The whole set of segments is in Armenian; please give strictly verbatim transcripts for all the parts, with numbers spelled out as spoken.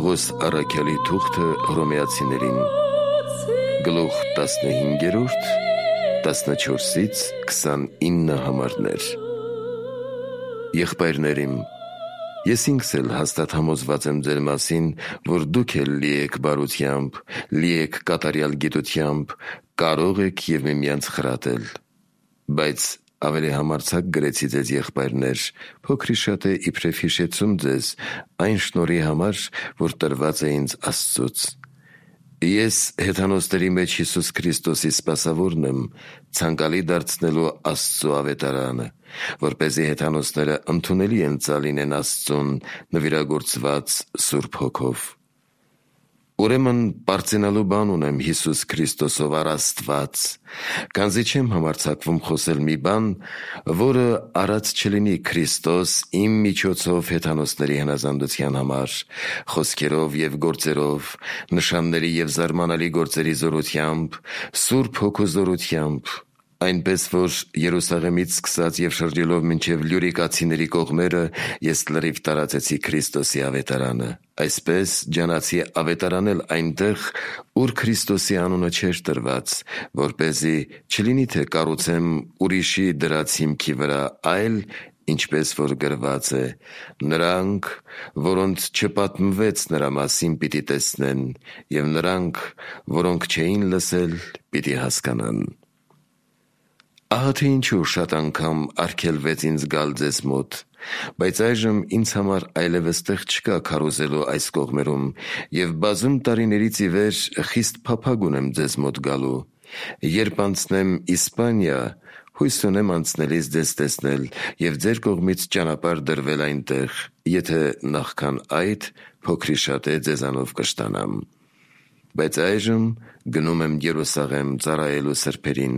Պողոս առաքյալի թուղթը Հռոմեացիներին, գլուխ տասնհինգերորդ, տասնչորսից քսանինը համարներ։ Եղբայրներիմ, ես ինքս էլ հաստատ համոզված եմ ձեր մասին, որ դուք էլ լի եք բարությամբ, լի եք կատարյալ գիտությամբ, կարող եք և միմյանց խրատել, բայց ավելի համարձակ գրեցի ձեզ եղբայրներ, փոքրիշատե իբրև հիշեցում ձեզ այն շնորհի համար, որ տրված է ինձ Աստծուց։ Ես հեթանոսների մեջ Հիսուս Քրիստոսի սպասավորն եմ, ցանկալի դարձնելու Աստծու ավետարանը, որպեսզի հեթանոսները ընդունելի ընծալինեն Աստծուն նվիրագործված Սուրբ Հոգով։ Ուրեմն պարծենալու բան ունեմ Հիսուս Քրիստոսով առ Աստված, քանզի չեմ համարձակվում խոսել մի բան, որը արած չլինի Քրիստոս իմ միջոցով հեթանոսների հնազանդության համար, խոսքերով և գործերով, նշանների և զարմանալի գործերի զորությամբ, Սուրբ Հոգու զորությամբ, այնպես որ Երուսաղեմից սկսած և շրջելով մինչև Լյուրիկացիների կողմերը ես լրիվ տարածեցի Քրիստոսի ավետարանը, այսպես ջանացի ավետարանել այնտեղ, ուր Քրիստոսի անունը չէր տրված, որպեսզի չլինի թե կառուցեմ ուրիշի դրած հիմքի վրա, այլ ինչպես որ գրված է. նրանք, որոնց չպատմվեց նրա մասին, պիտի տեսնեն, և նրանք, որոնք չէին լսել, պիտի հասկանան։ Ահա թե ինչու շատ անգամ արգելվեց ինձ գալ ձեզ մոտ, բայց այժմ ինձ համար այլևս տեղ չկա քարոզելու այս կողմերում, և բազում տարիներից ի վեր խիստ փափագ ունեմ ձեզ մոտ գալու։ Երբ անցնեմ Իսպանիա, հույս ունեմ անցնելիս ձեզ տեսնել և ձեր կողմից ճանապարհ դրվել այնտեղ, եթե նախքան այդ փոքրիշատե ձեզանով կշտանամ։ Բայց այժմ գնում եմ Երուսաղեմ ծառայելու սրբերին,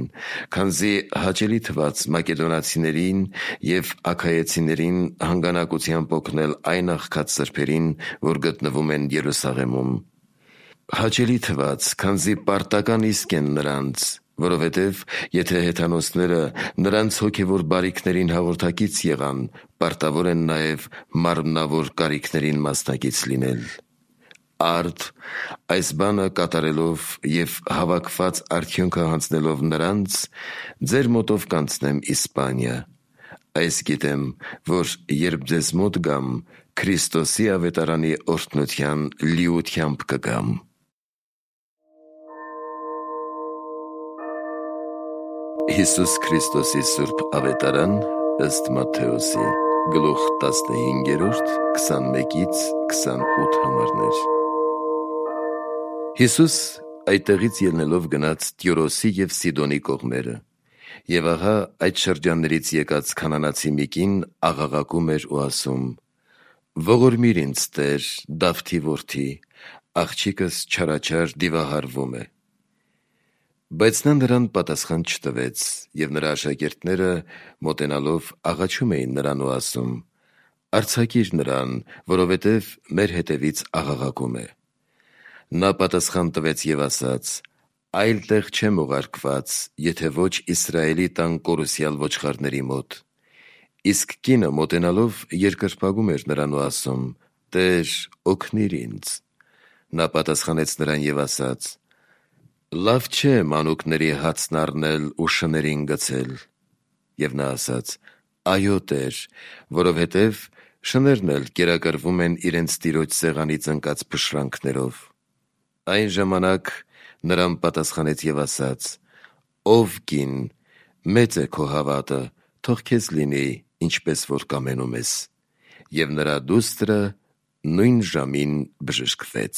քանզի հաճելի թվաց մակեդոնացիներին և աքայեցիներին հանգանակությամբ օգնել այն աղքատ սրբերին, որ գտնվում են Երուսաղեմում։ Հաճելի թվաց, քանզի պարտական իսկ են նրանց, որովհետև եթե հեթանոսները նրանց հոգևոր բարիքներին հաղորդակից եղան, պարտավոր են նաև մարմնավոր կարիքներին մասնակից լինել։ Արդ այս բանը կատարելով և հավաքված արդյունքը հանձնելով նրանց, ձեր մոտով կանցնեմ Իսպանիա։ Այս գիտեմ, որ երբ ձեզ մոտ գամ, Քրիստոսի ավետարանի օրհնության լիությամբ կգամ։ Հիսուս Քրիստոսի Սուրբ ավետարան ըստ Մատթեոսի, գլուխ տասնհինգերորդ, քսանմեկից քսանութ համարներ։ Հիսուս այդտեղից ելնելով գնաց Տյուրոսի և Սիդոնի կողմերը, և ահա այդ շրջաններից եկած քանանացի մի կին աղաղակում էր ու ասում. «Ողորմիր ինձ, Տեր, Դավթի որդի, աղջիկս չարաչար դիվահարվում է»։ Բայց նա նրան պատասխան չտվեց, և նրա աշակերտները մոտենալով աղաչում էին նրան ու ասում. «Արձակիր նրան, որովհետև մեր հետևից աղաղակում է»։ Նա պատասխան տվեց և ասաց. «Այլ տեղ չեմ ուղարկված, եթե ոչ Իսրայելի տան կորուսյալ ոչխարների մոտ»։ Իսկ կինը մոտենալով երկրպագում էր նրան ու ասում. «Տեր, օգնիր ինձ»։ Նա պատասխանեց նրան և ասաց. «Լավ չէ մանուկների հացն առնել ու շներին գցել»։ Եվ նա ասաց. «Այո, Տեր, որովհետև շներն էլ կերակրվում են իրենց տիրոջ սեղանից ընկած փշրանքներով»։ Այն ժամանակ նրան պատասխանեց և ասաց. «Ով կին, մեծ է քո հավատը, թող քեզ լինի, ինչպես որ կամենում ես»։ Եվ նրա դուստրը նույն ժամին բժշկվեց։